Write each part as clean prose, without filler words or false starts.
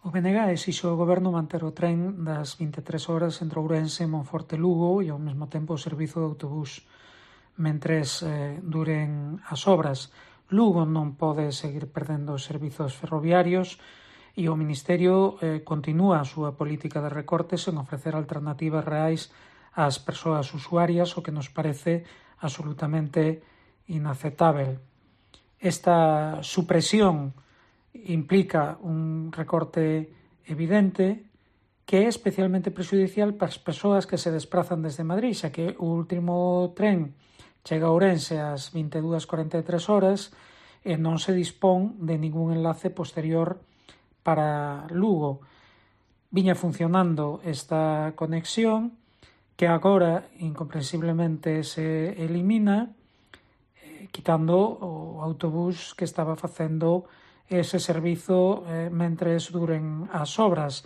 O BNG exixe ao Goberno manter o tren das 23 horas entre Ourense, Monforte e Lugo e ao mesmo tempo o servizo de autobús mentres duren as obras. Lugo non pode seguir perdendo os servizos ferroviarios e o Ministerio continúa a súa política de recortes en ofrecer alternativas reais ás persoas usuarias, o que nos parece absolutamente inaceptável. Esta supresión implica un recorte evidente que é especialmente prexudicial para as persoas que se desprazan desde Madrid, xa que o último tren chega a Ourense ás 22:43 horas e non se dispón de ningún enlace posterior para Lugo. Viña funcionando esta conexión que agora incomprensiblemente se elimina, quitando o autobús que estaba facendo ese servizo mentres duren as obras.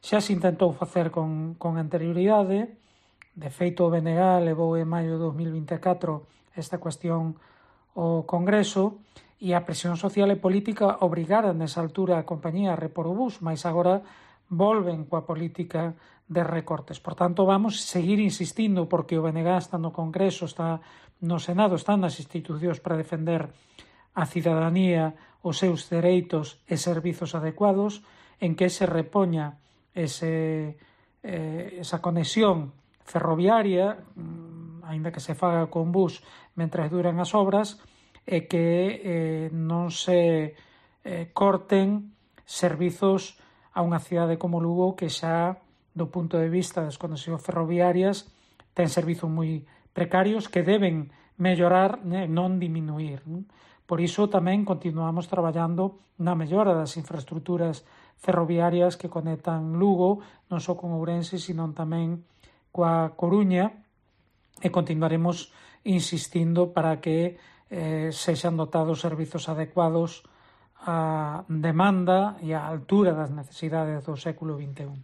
Xa se intentou facer con anterioridade. De feito, o BNG levou en maio de 2024 esta cuestión ao Congreso e a presión social e política obrigara nesa altura a compañía a repor o bus, mas agora volven coa política de recortes. Por tanto, vamos seguir insistindo porque o BNG está no Congreso, está no Senado, está nas institucións para defender a cidadanía, os seus dereitos e servizos adecuados, en que se repoña esa conexión ferroviaria, aínda que se faga con bus mentre duran as obras, e que non se corten servizos a unha cidade como Lugo que xa, do punto de vista das conexións ferroviarias, ten servizos moi precarios que deben mellorar, non diminuir. Por iso tamén continuamos traballando na mellora das infraestructuras ferroviarias que conectan Lugo, non só con Ourense, sino tamén coa Coruña, e continuaremos insistindo para que sexan dotados servizos adecuados á demanda e á altura das necesidades do século XXI.